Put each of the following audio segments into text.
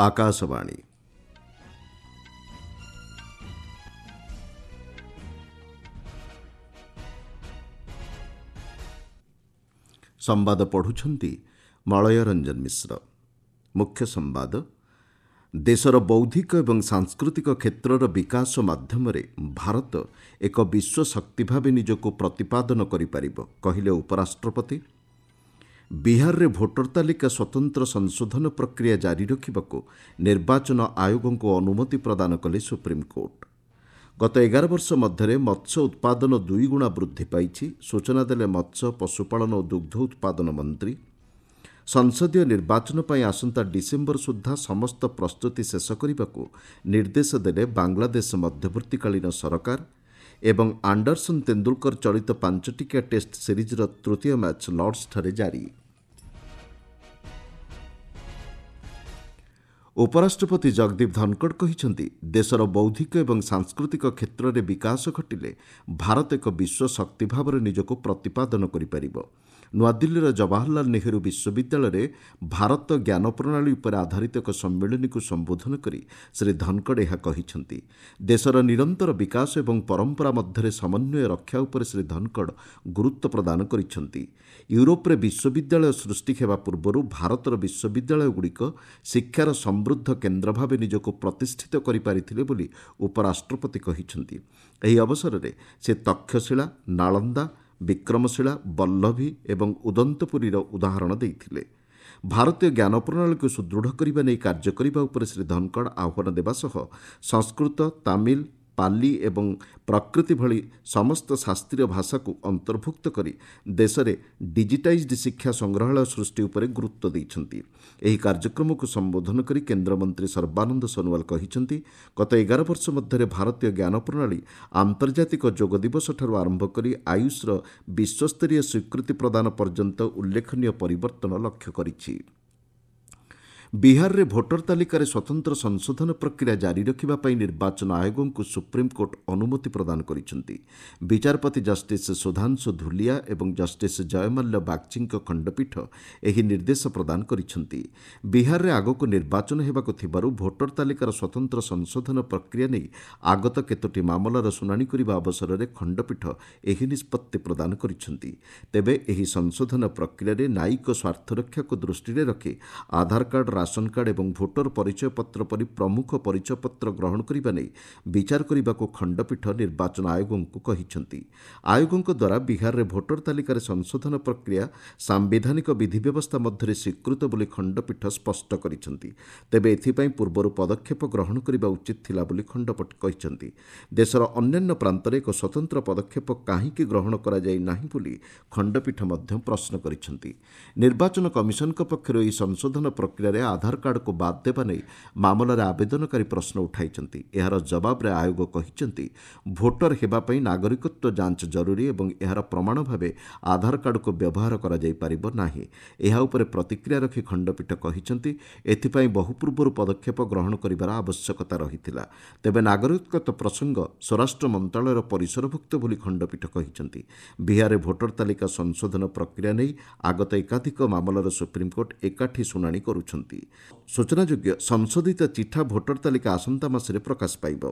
ଆକାଶବାଣୀ। ସମ୍ବାଦ ପଢ଼ୁଛନ୍ତି ମଳୟ ରଞ୍ଜନ ମିଶ୍ର। ମୁଖ୍ୟ ସମ୍ବାଦ। ଦେଶର ବୌଦ୍ଧିକ ଏବଂ ସାଂସ୍କୃତିକ କ୍ଷେତ୍ରର ବିକାଶ ମାଧ୍ୟମରେ ଭାରତ ଏକ ବିଶ୍ୱ ଶକ୍ତି ଭାବେ ନିଜକୁ ପ୍ରତିପାଦନ କରିପାରିବ, କହିଲେ ଉପରାଷ୍ଟ୍ରପତି। ବିହାରରେ ଭୋଟର ତାଲିକା ସ୍ୱତନ୍ତ୍ର ସଂଶୋଧନ ପ୍ରକ୍ରିୟା ଜାରି ରଖିବାକୁ ନିର୍ବାଚନ ଆୟୋଗଙ୍କୁ ଅନୁମତି ପ୍ରଦାନ କଲେ ସୁପ୍ରିମକୋର୍ଟ। ଗତ 11 ବର୍ଷ ମଧ୍ୟରେ ମତ୍ସ୍ୟ ଉତ୍ପାଦନ ଦୁଇଗୁଣା ବୃଦ୍ଧି ପାଇଛି, ସୂଚନା ଦେଲେ ମତ୍ସ୍ୟ, ପଶୁପାଳନ ଓ ଦୁଗ୍ଧ ଉତ୍ପାଦନ ମନ୍ତ୍ରୀ। ସଂସଦୀୟ ନିର୍ବାଚନ ପାଇଁ ଆସନ୍ତା ଡିସେମ୍ବର ସୁଦ୍ଧା ସମସ୍ତ ପ୍ରସ୍ତୁତି ଶେଷ କରିବାକୁ ନିର୍ଦ୍ଦେଶ ଦେଲେ ବାଂଲାଦେଶ ମଧ୍ୟବର୍ତ୍ତୀକାଳୀନ ସରକାର। ଏବଂ ଆଣ୍ଡରସନ୍ ତେନ୍ଦୁଲକର ଚଳିତ 5 ଟିକିଆ ଟେଷ୍ଟ ସିରିଜ୍ର ତୃତୀୟ ମ୍ୟାଚ୍ ଲର୍ଡସଠାରେ ଜାରି। ଉପରାଷ୍ଟ୍ରପତି ଜଗଦୀପ ଧନଖଡ଼ କହିଛନ୍ତି, ଦେଶର ବୌଦ୍ଧିକ ଏବଂ ସାଂସ୍କୃତିକ କ୍ଷେତ୍ରରେ ବିକାଶ ଘଟିଲେ ଭାରତ ଏକ ବିଶ୍ୱ ଶକ୍ତି ଭାବରେ ନିଜକୁ ପ୍ରତିପାଦନ କରିପାରିବ। ନୂଆଦିଲ୍ଲୀର ଜବାହରଲାଲ ନେହେରୁ ବିଶ୍ୱବିଦ୍ୟାଳୟରେ ଭାରତ ଜ୍ଞାନ ପ୍ରଣାଳୀ ଉପରେ ଆଧାରିତ ଏକ ସମ୍ମିଳନୀକୁ ସମ୍ବୋଧନ କରି ଶ୍ରୀ ଧନଖଡ଼ ଏହା କହିଛନ୍ତି। ଦେଶର ନିରନ୍ତର ବିକାଶ ଏବଂ ପରମ୍ପରା ମଧ୍ୟରେ ସମନ୍ୱୟ ରକ୍ଷା ଉପରେ ଶ୍ରୀ ଧନଖଡ଼ ଗୁରୁତ୍ୱ ପ୍ରଦାନ କରିଛନ୍ତି। ୟୁରୋପରେ ବିଶ୍ୱବିଦ୍ୟାଳୟ ସୃଷ୍ଟି ହେବା ପୂର୍ବରୁ ଭାରତର ବିଶ୍ୱବିଦ୍ୟାଳୟଗୁଡ଼ିକ ଶିକ୍ଷାର ସମୃଦ୍ଧ କେନ୍ଦ୍ର ଭାବେ ନିଜକୁ ପ୍ରତିଷ୍ଠିତ କରିପାରିଥିଲେ ବୋଲି ଉପରାଷ୍ଟ୍ରପତି କହିଛନ୍ତି। ଏହି ଅବସରରେ ସେ ତକ୍ଷଶିଳା, ନାଳନ୍ଦା, ବିକ୍ରମଶିଳା, ବଲ୍ଲଭୀ ଏବଂ ଉଦନ୍ତପୁରୀର ଉଦାହରଣ ଦେଇଥିଲେ। ଭାରତୀୟ ଜ୍ଞାନ ପ୍ରଣାଳୀକୁ ସୁଦୃଢ଼ କରିବା ନେଇ କାର୍ଯ୍ୟ କରିବା ଉପରେ ଶ୍ରୀ ଧନଖଡ଼ ଆହ୍ୱାନ ଦେବା ସହ ସଂସ୍କୃତ, ତାମିଲ, ପାଲି ଏବଂ ପ୍ରକୃତି ଭଳି ସମସ୍ତ ଶାସ୍ତ୍ରୀୟ ଭାଷାକୁ ଅନ୍ତର୍ଭୁକ୍ତ କରି ଦେଶରେ ଡିଜିଟାଇଜ୍ଡ ଶିକ୍ଷା ସଂଗ୍ରହାଳୟ ସୃଷ୍ଟି ଉପରେ ଗୁରୁତ୍ୱ ଦେଇଛନ୍ତି। ଏହି କାର୍ଯ୍ୟକ୍ରମକୁ ସମ୍ବୋଧନ କରି କେନ୍ଦ୍ରମନ୍ତ୍ରୀ ସର୍ବାନନ୍ଦ ସୋନୋୱାଲ କହିଛନ୍ତି, ଗତ 11 ବର୍ଷ ମଧ୍ୟରେ ଭାରତୀୟ ଜ୍ଞାନ ପ୍ରଣାଳୀ ଆନ୍ତର୍ଜାତିକ ଯୋଗ ଦିବସଠାରୁ ଆରମ୍ଭ କରି ଆୟୁଷର ବିଶ୍ୱସ୍ତରୀୟ ସ୍ୱୀକୃତି ପ୍ରଦାନ ପର୍ଯ୍ୟନ୍ତ ଉଲ୍ଲେଖନୀୟ ପରିବର୍ତ୍ତନ ଲକ୍ଷ୍ୟ କରିଛି। ବିହାରରେ ଭୋଟର ତାଲିକାରେ ସ୍ୱତନ୍ତ୍ର ସଂଶୋଧନ ପ୍ରକ୍ରିୟା ଜାରି ରଖିବା ପାଇଁ ନିର୍ବାଚନ ଆୟୋଗଙ୍କୁ ସୁପ୍ରିମକୋର୍ଟ ଅନୁମତି ପ୍ରଦାନ କରିଛନ୍ତି। ବିଚାରପତି ଜଷ୍ଟିସ୍ ସୁଧାଂଶୁ ଧୁଲିଆ ଏବଂ ଜଷ୍ଟିସ୍ ଜୟମାଲ୍ୟ ବାଗ୍ଚୀଙ୍କ ଖଣ୍ଡପୀଠ ଏହି ନିର୍ଦ୍ଦେଶ ପ୍ରଦାନ କରିଛନ୍ତି। ବିହାରରେ ଆଗକୁ ନିର୍ବାଚନ ହେବାକୁ ଥିବାରୁ ଭୋଟର ତାଲିକାର ସ୍ୱତନ୍ତ୍ର ସଂଶୋଧନ ପ୍ରକ୍ରିୟା ନେଇ ଆଗତ କେତୋଟି ମାମଲାର ଶୁଣାଣି କରିବା ଅବସରରେ ଖଣ୍ଡପୀଠ ଏହି ନିଷ୍ପତ୍ତି ପ୍ରଦାନ କରିଛନ୍ତି। ତେବେ ଏହି ସଂଶୋଧନ ପ୍ରକ୍ରିୟାରେ ନ୍ୟାୟିକ ସ୍ୱାର୍ଥରକ୍ଷାକୁ ଦୃଷ୍ଟିରେ ରଖି ଆଧାର କାର୍ଡ, ରାସନ କାର୍ଡ ଏବଂ ଭୋଟର ପରିଚୟପତ୍ର ପରି ପ୍ରମୁଖ ପରିଚୟପତ୍ର ଗ୍ରହଣ କରିବା ନେଇ ବିଚାର କରିବାକୁ ଖଣ୍ଡପୀଠ ନିର୍ବାଚନ ଆୟୋଗଙ୍କୁ କହିଛନ୍ତି। ଆୟୋଗଙ୍କ ଦ୍ୱାରା ବିହାରରେ ଭୋଟର ତାଲିକାରେ ସଂଶୋଧନ ପ୍ରକ୍ରିୟା ସାମ୍ବିଧାନିକ ବିଧି ବ୍ୟବସ୍ଥା ମଧ୍ୟରେ ସ୍ୱୀକୃତ ବୋଲି ଖଣ୍ଡପୀଠ ସ୍ପଷ୍ଟ କରିଛନ୍ତି। ତେବେ ଏଥିପାଇଁ ପୂର୍ବରୁ ପଦକ୍ଷେପ ଗ୍ରହଣ କରିବା ଉଚିତ ଥିଲା ବୋଲି ଖଣ୍ଡପୀଠ କହିଛନ୍ତି। ଦେଶର ଅନ୍ୟାନ୍ୟ ପ୍ରାନ୍ତରେ ଏକ ସ୍ୱତନ୍ତ୍ର ପଦକ୍ଷେପ କାହିଁକି ଗ୍ରହଣ କରାଯାଇ ନାହିଁ ବୋଲି ଖଣ୍ଡପୀଠ ମଧ୍ୟ ପ୍ରଶ୍ନ କରିଛନ୍ତି। ନିର୍ବାଚନ କମିଶନଙ୍କ ପକ୍ଷରୁ ଏହି ସଂଶୋଧନ ପ୍ରକ୍ରିୟାରେ ଆଧାର କାର୍ଡକୁ ବାଦ୍ ଦେବା ନେଇ ମାମଲାରେ ଆବେଦନକାରୀ ପ୍ରଶ୍ନ ଉଠାଇଛନ୍ତି। ଏହାର ଜବାବରେ ଆୟୋଗ କହିଛନ୍ତି, ଭୋଟର ହେବା ପାଇଁ ନାଗରିକତ୍ୱ ଯାଞ୍ଚ ଜରୁରୀ ଏବଂ ଏହାର ପ୍ରମାଣ ଭାବେ ଆଧାର କାର୍ଡକୁ ବ୍ୟବହାର କରାଯାଇପାରିବ ନାହିଁ। ଏହା ଉପରେ ପ୍ରତିକ୍ରିୟା ରଖି ଖଣ୍ଡପୀଠ କହିଛନ୍ତି, ଏଥିପାଇଁ ବହୁ ପୂର୍ବରୁ ପଦକ୍ଷେପ ଗ୍ରହଣ କରିବାର ଆବଶ୍ୟକତା ରହିଥିଲା। ତେବେ ନାଗରିକତ୍ୱ ପ୍ରସଙ୍ଗ ସ୍ୱରାଷ୍ଟ୍ର ମନ୍ତ୍ରଣାଳୟର ପରିସରଭୁକ୍ତ ବୋଲି ଖଣ୍ଡପୀଠ କହିଛନ୍ତି। ବିହାରରେ ଭୋଟର ତାଲିକା ସଂଶୋଧନ ପ୍ରକ୍ରିୟା ନେଇ ଆଗତ ଏକାଧିକ ମାମଲାର ସୁପ୍ରିମକୋର୍ଟ ଏକାଠି ଶୁଣାଣି କରୁଛନ୍ତି। ସୂଚନାଯୋଗ୍ୟ, ସଂଶୋଧିତ ଚିଠା ଭୋଟର ତାଲିକା ଆସନ୍ତା ମାସରେ ପ୍ରକାଶ ପାଇବ।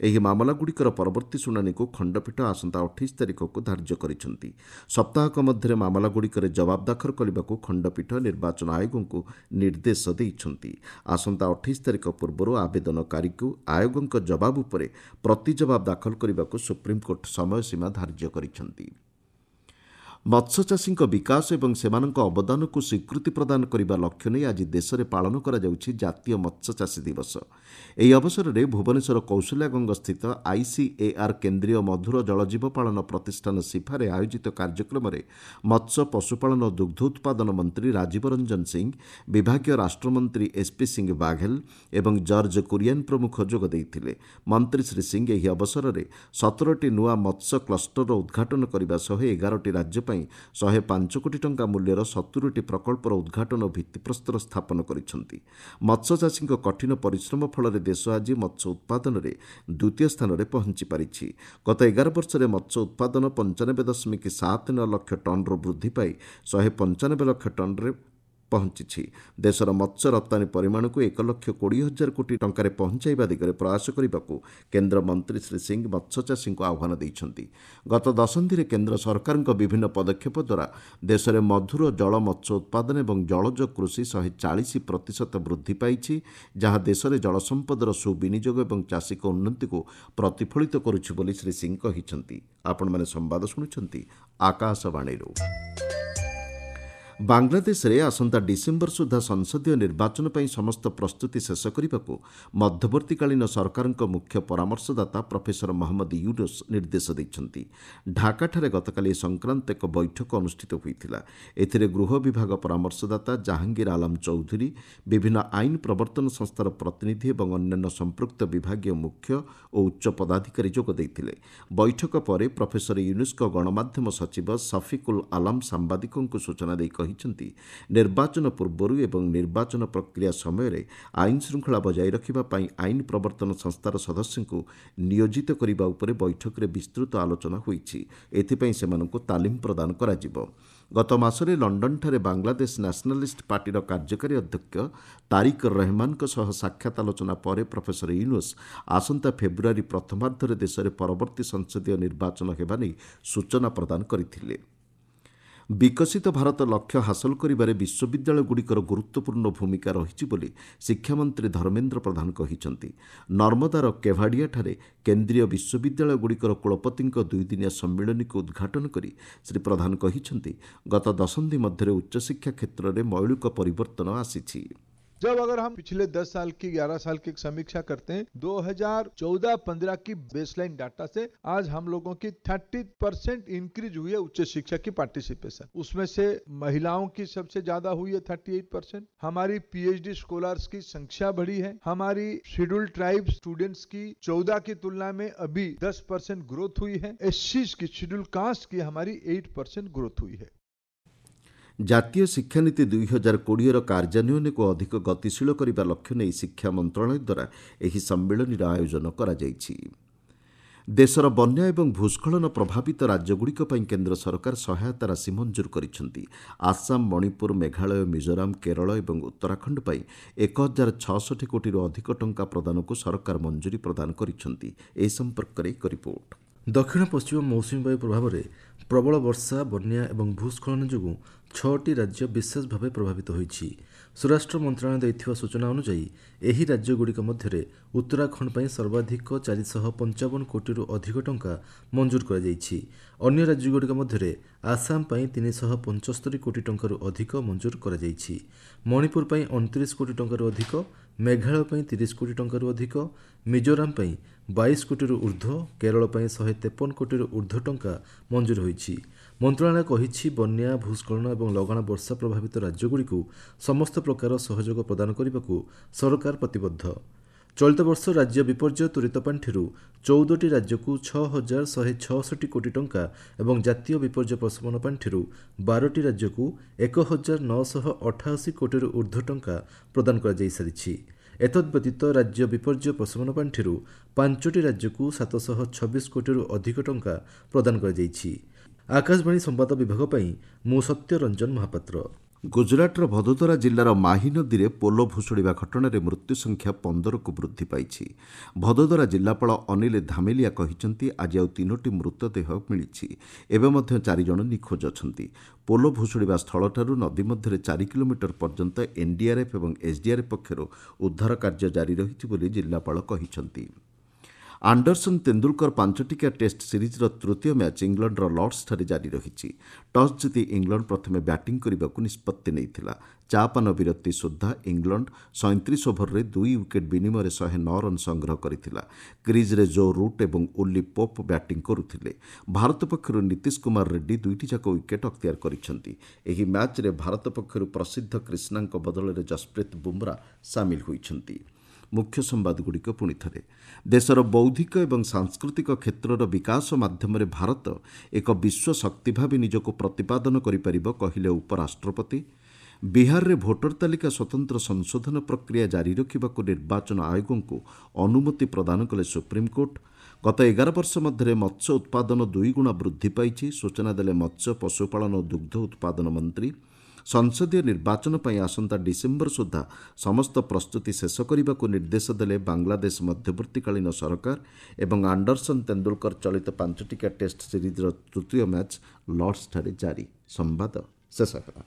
ଏହି ମାମଲାଗୁଡ଼ିକର ପରବର୍ତ୍ତୀ ଶୁଣାଣିକୁ ଖଣ୍ଡପୀଠ ଆସନ୍ତା 28 ତାରିଖକୁ ଧାର୍ଯ୍ୟ କରିଛନ୍ତି। ସପ୍ତାହକ ମଧ୍ୟରେ ମାମଲାଗୁଡ଼ିକରେ ଜବାବ ଦାଖଲ କରିବାକୁ ଖଣ୍ଡପୀଠ ନିର୍ବାଚନ ଆୟୋଗଙ୍କୁ ନିର୍ଦ୍ଦେଶ ଦେଇଛନ୍ତି। ଆସନ୍ତା 28 ତାରିଖ ପୂର୍ବରୁ ଆବେଦନକାରୀଙ୍କୁ ଆୟୋଗଙ୍କ ଜବାବ ଉପରେ ପ୍ରତି ଜବାବ ଦାଖଲ କରିବାକୁ ସୁପ୍ରିମକୋର୍ଟ ସମୟସୀମା ଧାର୍ଯ୍ୟ କରିଛନ୍ତି। ମତ୍ସ୍ୟଚାଷୀଙ୍କ ବିକାଶ ଏବଂ ସେମାନଙ୍କ ଅବଦାନକୁ ସ୍ୱୀକୃତି ପ୍ରଦାନ କରିବା ଲକ୍ଷ୍ୟ ନେଇ ଆଜି ଦେଶରେ ପାଳନ କରାଯାଉଛି ଜାତୀୟ ମତ୍ସ୍ୟଚାଷୀ ଦିବସ। ଏହି ଅବସରରେ ଭୁବନେଶ୍ୱର କୌଶଲ୍ୟାଗଙ୍ଗସ୍ଥିତ ଆଇସିଏଆର୍ କେନ୍ଦ୍ରୀୟ ମଧୁର ଜଳଜୀବ ପାଳନ ପ୍ରତିଷ୍ଠାନ ସିଫାରେ ଆୟୋଜିତ କାର୍ଯ୍ୟକ୍ରମରେ ମତ୍ସ୍ୟ, ପଶୁପାଳନ ଓ ଦୁଗ୍ଧ ଉତ୍ପାଦନ ମନ୍ତ୍ରୀ ରାଜୀବ ରଞ୍ଜନ ସିଂ, ବିଭାଗୀୟ ରାଷ୍ଟ୍ରମନ୍ତ୍ରୀ ଏସ୍ପି ସିଂ ବାଘେଲ ଏବଂ ଜର୍ଜ କୁରିଆନ୍ ପ୍ରମୁଖ ଯୋଗ ଦେଇଥିଲେ। ମନ୍ତ୍ରୀ ଶ୍ରୀ ସିଂ ଏହି ଅବସରରେ 17ଟି ନୂଆ ମତ୍ସ୍ୟ କ୍ଲଷ୍ଟରର ଉଦ୍ଘାଟନ କରିବା ସହ 11ଟି ରାଜ୍ୟ ପାଇଁ 105 କୋଟି ଟଙ୍କା ମୂଲ୍ୟର 70ଟି ପ୍ରକଳ୍ପର ଉଦ୍ଘାଟନ ଓ ଭିତ୍ତିପ୍ରସ୍ତର ସ୍ଥାପନ କରିଛନ୍ତି। ମତ୍ସ୍ୟଚାଷୀଙ୍କ କଠିନ ପରିଶ୍ରମ ଫଳରେ ଦେଶ ଆଜି ମତ୍ସ୍ୟ ଉତ୍ପାଦନରେ ଦ୍ୱିତୀୟ ସ୍ଥାନରେ ପହଞ୍ଚି ପାରିଛି। ଗତ 11 ବର୍ଷରେ ମତ୍ସ୍ୟ ଉତ୍ପାଦନ 95.79 ଲକ୍ଷ ଟନ୍ରୁ ବୃଦ୍ଧି ପାଇ 195 ଲକ୍ଷ ଟନ୍ରେ ପହଞ୍ଚିଛି। ଦେଶର ମତ୍ସ୍ୟ ରପ୍ତାନୀ ପରିମାଣକୁ 1,20,000 କୋଟି ଟଙ୍କାରେ ପହଞ୍ଚାଇବା ଦିଗରେ ପ୍ରୟାସ କରିବାକୁ କେନ୍ଦ୍ର ମନ୍ତ୍ରୀ ଶ୍ରୀ ସିଂ ମତ୍ସ୍ୟଚାଷୀଙ୍କୁ ଆହ୍ୱାନ ଦେଇଛନ୍ତି। ଗତ ଦଶନ୍ଧିରେ କେନ୍ଦ୍ର ସରକାରଙ୍କ ବିଭିନ୍ନ ପଦକ୍ଷେପ ଦ୍ୱାରା ଦେଶରେ ମଧୁର ଜଳ ମତ୍ସ୍ୟ ଉତ୍ପାଦନ ଏବଂ ଜଳଜ କୃଷି 140% ବୃଦ୍ଧି ପାଇଛି, ଯାହା ଦେଶରେ ଜଳସମ୍ପଦର ସୁବିନିଯୋଗ ଏବଂ ଚାଷୀଙ୍କ ଉନ୍ନତିକୁ ପ୍ରତିଫଳିତ କରୁଛି ବୋଲି ଶ୍ରୀ ସିଂ କହିଛନ୍ତି। ଆପଣମାନେ ସମ୍ବାଦ ଶୁଣୁଛନ୍ତି ଆକାଶବାଣୀରୁ। ବାଂଲାଦେଶରେ ଆସନ୍ତା ଡିସେମ୍ବର ସୁଦ୍ଧା ସଂସଦୀୟ ନିର୍ବାଚନ ପାଇଁ ସମସ୍ତ ପ୍ରସ୍ତୁତି ଶେଷ କରିବାକୁ ମଧ୍ୟବର୍ତ୍ତୀକାଳୀନ ସରକାରଙ୍କ ମୁଖ୍ୟ ପରାମର୍ଶଦାତା ପ୍ରଫେସର ମହମ୍ମଦ ୟୁନୁସ୍ ନିର୍ଦ୍ଦେଶ ଦେଇଛନ୍ତି। ଢାକାଠାରେ ଗତକାଲି ଏ ସଂକ୍ରାନ୍ତ ଏକ ବୈଠକ ଅନୁଷ୍ଠିତ ହୋଇଥିଲା। ଏଥିରେ ଗୃହ ବିଭାଗ ପରାମର୍ଶଦାତା ଜାହାଙ୍ଗୀର ଆଲମ ଚୌଧୁରୀ, ବିଭିନ୍ନ ଆଇନ ପ୍ରବର୍ତ୍ତନ ସଂସ୍ଥାର ପ୍ରତିନିଧି ଏବଂ ଅନ୍ୟାନ୍ୟ ସମ୍ପୃକ୍ତ ବିଭାଗୀୟ ମୁଖ୍ୟ ଓ ଉଚ୍ଚ ପଦାଧିକାରୀ ଯୋଗ ଦେଇଥିଲେ। ବୈଠକ ପରେ ପ୍ରଫେସର ୟୁନୁସ୍ଙ୍କ ଗଣମାଧ୍ୟମ ସଚିବ ସଫିକୁଲ ଆଲାମ ସାମ୍ବାଦିକଙ୍କୁ ସୂଚନା ଦେଇ କହିଛନ୍ତି, ନିର୍ବାଚନ ପୂର୍ବରୁ ଏବଂ ନିର୍ବାଚନ ପ୍ରକ୍ରିୟା ସମୟରେ ଆଇନ ଶୃଙ୍ଖଳା ବଜାୟ ରଖିବା ପାଇଁ ଆଇନ ପ୍ରବର୍ତ୍ତନ ସଂସ୍ଥାର ସଦସ୍ୟଙ୍କୁ ନିୟୋଜିତ କରିବା ଉପରେ ବୈଠକରେ ବିସ୍ତୃତ ଆଲୋଚନା ହୋଇଛି। ଏଥିପାଇଁ ସେମାନଙ୍କୁ ତାଲିମ ପ୍ରଦାନ କରାଯିବ। ଗତ ମାସରେ ଲଣ୍ଡନଠାରେ ବାଂଲାଦେଶ ନ୍ୟାସନାଲିଷ୍ଟ ପାର୍ଟିର କାର୍ଯ୍ୟକାରୀ ଅଧ୍ୟକ୍ଷ ତାରିକ ରହେମାନଙ୍କ ସହ ସାକ୍ଷାତ ଆଲୋଚନା ପରେ ପ୍ରଫେସର ୟୁନୁସ୍ ଆସନ୍ତା ଫେବୃଆରୀ ପ୍ରଥମାର୍ଦ୍ଧରେ ଦେଶରେ ପରବର୍ତ୍ତୀ ସଂସଦୀୟ ନିର୍ବାଚନ ହେବା ନେଇ ସୂଚନା ପ୍ରଦାନ କରିଥିଲେ। ବିକଶିତ ଭାରତ ଲକ୍ଷ୍ୟ ହାସଲ କରିବାରେ ବିଶ୍ୱବିଦ୍ୟାଳୟଗୁଡ଼ିକର ଗୁରୁତ୍ୱପୂର୍ଣ୍ଣ ଭୂମିକା ରହିଛି ବୋଲି ଶିକ୍ଷାମନ୍ତ୍ରୀ ଧର୍ମେନ୍ଦ୍ର ପ୍ରଧାନ କହିଛନ୍ତି। ନର୍ମଦାର କେଭାଡ଼ିଆଠାରେ କେନ୍ଦ୍ରୀୟ ବିଶ୍ୱବିଦ୍ୟାଳୟଗୁଡ଼ିକର କୁଳପତିଙ୍କ ଦୁଇଦିନିଆ ସମ୍ମିଳନୀକୁ ଉଦ୍ଘାଟନ କରି ଶ୍ରୀ ପ୍ରଧାନ କହିଛନ୍ତି, ଗତ ଦଶନ୍ଧି ମଧ୍ୟରେ ଉଚ୍ଚଶିକ୍ଷା କ୍ଷେତ୍ରରେ ମୌଳିକ ପରିବର୍ତ୍ତନ ଆସିଛି। जब अगर हम पिछले 10 साल की 11 साल की समीक्षा करते हैं, 2014-15 की बेसलाइन डाटा से आज हम लोगों की 30% इंक्रीज हुई है उच्च शिक्षा की पार्टिसिपेशन। उसमें से महिलाओं की सबसे ज्यादा हुई है 38%। हमारी पीएचडी स्कॉलर्स की संख्या बढ़ी है। हमारी शेड्यूल ट्राइब स्टूडेंट्स की 14 की तुलना में अभी 10% ग्रोथ हुई है। एससी की, शेड्यूल कास्ट की हमारी 8% ग्रोथ हुई है। ଜାତୀୟ ଶିକ୍ଷାନୀତି 2020ର କାର୍ଯ୍ୟାନ୍ୱୟନକୁ ଅଧିକ ଗତିଶୀଳ କରିବା ଲକ୍ଷ୍ୟ ନେଇ ଶିକ୍ଷା ମନ୍ତ୍ରଣାଳୟ ଦ୍ୱାରା ଏହି ସମ୍ମିଳନୀର ଆୟୋଜନ କରାଯାଇଛି। ଦେଶର ବନ୍ୟା ଏବଂ ଭୂସ୍ଖଳନ ପ୍ରଭାବିତ ରାଜ୍ୟଗୁଡ଼ିକ ପାଇଁ କେନ୍ଦ୍ର ସରକାର ସହାୟତା ରାଶି ମଞ୍ଜୁର କରିଛନ୍ତି। ଆସାମ, ମଣିପୁର, ମେଘାଳୟ, ମିଜୋରାମ, କେରଳ ଏବଂ ଉତ୍ତରାଖଣ୍ଡ ପାଇଁ 1066 କୋଟିରୁ ଅଧିକ ଟଙ୍କା ପ୍ରଦାନକୁ ସରକାର ମଞ୍ଜୁରୀ ପ୍ରଦାନ କରିଛନ୍ତି। ଏ ସମ୍ପର୍କରେ ଏକ ରିପୋର୍ଟ। ଦକ୍ଷିଣ ପଶ୍ଚିମ ମୌସୁମୀ ବାୟୁ ପ୍ରଭାବରେ ପ୍ରବଳ ବର୍ଷା, ବନ୍ୟା ଏବଂ ଭୂସ୍ଖଳନ ଯୋଗୁଁ 6ଟି ରାଜ୍ୟ ବିଶେଷ ଭାବେ ପ୍ରଭାବିତ ହୋଇଛି। ସ୍ୱରାଷ୍ଟ୍ର ମନ୍ତ୍ରଣାଳୟ ଦେଇଥିବା ସୂଚନା ଅନୁଯାୟୀ ଏହି ରାଜ୍ୟଗୁଡ଼ିକ ମଧ୍ୟରେ ଉତ୍ତରାଖଣ୍ଡ ପାଇଁ ସର୍ବାଧିକ 455 କୋଟିରୁ ଅଧିକ ଟଙ୍କା ମଞ୍ଜୁର କରାଯାଇଛି। ଅନ୍ୟ ରାଜ୍ୟଗୁଡ଼ିକ ମଧ୍ୟରେ ଆସାମ ପାଇଁ 375 କୋଟି ଟଙ୍କାରୁ ଅଧିକ ମଞ୍ଜୁର କରାଯାଇଛି। ମଣିପୁର ପାଇଁ 29 କୋଟି ଟଙ୍କାରୁ ଅଧିକ, ମେଘାଳୟ ପାଇଁ 30 କୋଟି ଟଙ୍କାରୁ ଅଧିକ, ମିଜୋରାମ ପାଇଁ 22 କୋଟିରୁ ଉର୍ଦ୍ଧ୍ୱ, କେରଳ ପାଇଁ 153 କୋଟିରୁ ଉର୍ଦ୍ଧ୍ୱ ଟଙ୍କା ମଞ୍ଜୁର ହୋଇଛି। ମନ୍ତ୍ରଣାଳୟ କହିଛି, ବନ୍ୟା, ଭୂସ୍ଖଳନ ଏବଂ ଲଗାଣ ବର୍ଷା ପ୍ରଭାବିତ ରାଜ୍ୟଗୁଡ଼ିକୁ ସମସ୍ତ ପ୍ରକାର ସହଯୋଗ ପ୍ରଦାନ କରିବାକୁ ସରକାର ପ୍ରତିବଦ୍ଧ। ଚଳିତ ବର୍ଷ ରାଜ୍ୟ ବିପର୍ଯ୍ୟୟ ତ୍ୱରିତ ପାଣ୍ଠିରୁ 14ଟି ରାଜ୍ୟକୁ 6166 କୋଟି ଟଙ୍କା ଏବଂ ଜାତୀୟ ବିପର୍ଯ୍ୟୟ ପ୍ରଶମନ ପାଣ୍ଠିରୁ 12ଟି ରାଜ୍ୟକୁ 1988 କୋଟିରୁ ଉର୍ଦ୍ଧ୍ୱ ଟଙ୍କା ପ୍ରଦାନ କରାଯାଇସାରିଛି। ଏତଦ୍ବ୍ୟତୀତ ରାଜ୍ୟ ବିପର୍ଯ୍ୟୟ ପ୍ରଶମନ ପାଣ୍ଠିରୁ 5ଟି ରାଜ୍ୟକୁ 726 କୋଟିରୁ ଅଧିକ ଟଙ୍କା ପ୍ରଦାନ କରାଯାଇଛି। ଆକାଶବାଣୀ ସମ୍ବାଦ ବିଭାଗ ପାଇଁ ମୁଁ ସତ୍ୟରଞ୍ଜନ ମହାପାତ୍ର। ଗୁଜରାଟର ଭଦୋଦରା ଜିଲ୍ଲାର ମାହି ନଦୀରେ ପୋଲ ଭୁଶୁଡ଼ିବା ଘଟଣାରେ ମୃତ୍ୟୁ ସଂଖ୍ୟା 15କୁ ବୃଦ୍ଧି ପାଇଛି। ଭଦୋଦରା ଜିଲ୍ଲାପାଳ ଅନିଲ ଧାମେଲିଆ କହିଛନ୍ତି, ଆଜି ଆଉ 3ଟି ମୃତଦେହ ମିଳିଛି। ଏବେ ମଧ୍ୟ 4 ଜଣ ନିଖୋଜ ଅଛନ୍ତି। ପୋଲ ଭୁଶୁଡ଼ିବା ସ୍ଥଳଠାରୁ ନଦୀ ମଧ୍ୟରେ 4 କିଲୋମିଟର ପର୍ଯ୍ୟନ୍ତ ଏନ୍ଡିଆର୍ଏଫ୍ ଏବଂ ଏସ୍ଡିଆର୍ଏଫ୍ ପକ୍ଷରୁ ଉଦ୍ଧାର କାର୍ଯ୍ୟ ଜାରି ରହିଛି ବୋଲି ଜିଲ୍ଲାପାଳ କହିଛନ୍ତି। ଆଣ୍ଡରସନ୍ ତେନ୍ଦୁଲକର 5 ଟିକିଆ ଟେଷ୍ଟ ସିରିଜ୍ର ତୃତୀୟ ମ୍ୟାଚ୍ ଇଂଲଣ୍ଡର ଲର୍ଡସଠାରେ ଜାରି ରହିଛି। ଟସ୍ ଜିତି ଇଂଲଣ୍ଡ ପ୍ରଥମେ ବ୍ୟାଟିଂ କରିବାକୁ ନିଷ୍ପତ୍ତି ନେଇଥିଲା। ଚା ପାନ ବିରତି ସୁଦ୍ଧା ଇଂଲଣ୍ଡ 37 ଓଭରରେ 2 ୱିକେଟ୍ ବିନିମୟରେ 109 ରନ୍ ସଂଗ୍ରହ କରିଥିଲା। କ୍ରିଜ୍ରେ ଜୋ ରୁଟ୍ ଏବଂ ଓଲି ପୋପ୍ ବ୍ୟାଟିଂ କରୁଥିଲେ। ଭାରତ ପକ୍ଷରୁ ନୀତିଶ କୁମାର ରେଡ୍ଡି 2ଟି ଯାକ ୱିକେଟ୍ ଅକ୍ତିଆର କରିଛନ୍ତି। ଏହି ମ୍ୟାଚ୍ରେ ଭାରତ ପକ୍ଷରୁ ପ୍ରସିଦ୍ଧ କ୍ରିଷ୍ଣାଙ୍କ ବଦଳରେ ଯଶପ୍ରୀତ ବୁମ୍ରା ସାମିଲ ହୋଇଛନ୍ତି। ମୁଖ୍ୟ ସମ୍ବାଦଗୁଡ଼ିକ ପୁଣି ଥରେ। ଦେଶର ବୌଦ୍ଧିକ ଏବଂ ସାଂସ୍କୃତିକ କ୍ଷେତ୍ରର ବିକାଶ ମାଧ୍ୟମରେ ଭାରତ ଏକ ବିଶ୍ୱ ଶକ୍ତି ଭାବେ ନିଜକୁ ପ୍ରତିପାଦନ କରିପାରିବ, କହିଲେ ଉପରାଷ୍ଟ୍ରପତି। ବିହାରରେ ଭୋଟର ତାଲିକା ସ୍ୱତନ୍ତ୍ର ସଂଶୋଧନ ପ୍ରକ୍ରିୟା ଜାରି ରଖିବାକୁ ନିର୍ବାଚନ ଆୟୋଗଙ୍କୁ ଅନୁମତି ପ୍ରଦାନ କଲେ ସୁପ୍ରିମକୋର୍ଟ। ଗତ 11 ବର୍ଷ ମଧ୍ୟରେ ମତ୍ସ୍ୟ ଉତ୍ପାଦନ 2 ଗୁଣା ବୃଦ୍ଧି ପାଇଛି, ସୂଚନା ଦେଲେ ମତ୍ସ୍ୟ, ପଶୁପାଳନ ଓ ଦୁଗ୍ଧ ଉତ୍ପାଦନ ମନ୍ତ୍ରୀ। ସଂସଦୀୟ ନିର୍ବାଚନ ପାଇଁ ଆସନ୍ତା ଡିସେମ୍ବର ସୁଦ୍ଧା ସମସ୍ତ ପ୍ରସ୍ତୁତି ଶେଷ କରିବାକୁ ନିର୍ଦ୍ଦେଶ ଦେଲେ ବାଂଲାଦେଶ ମଧ୍ୟବର୍ତ୍ତୀକାଳୀନ ସରକାର। ଏବଂ ଆଣ୍ଡରସନ୍ ତେନ୍ଦୁଲକର ଚଳିତ 5 ଟିକିଆ ଟେଷ୍ଟ ସିରିଜ୍ର ତୃତୀୟ ମ୍ୟାଚ୍ ଲର୍ଡସଠାରେ ଜାରି। ସମ୍ବାଦ ଶେଷ ହେଲା।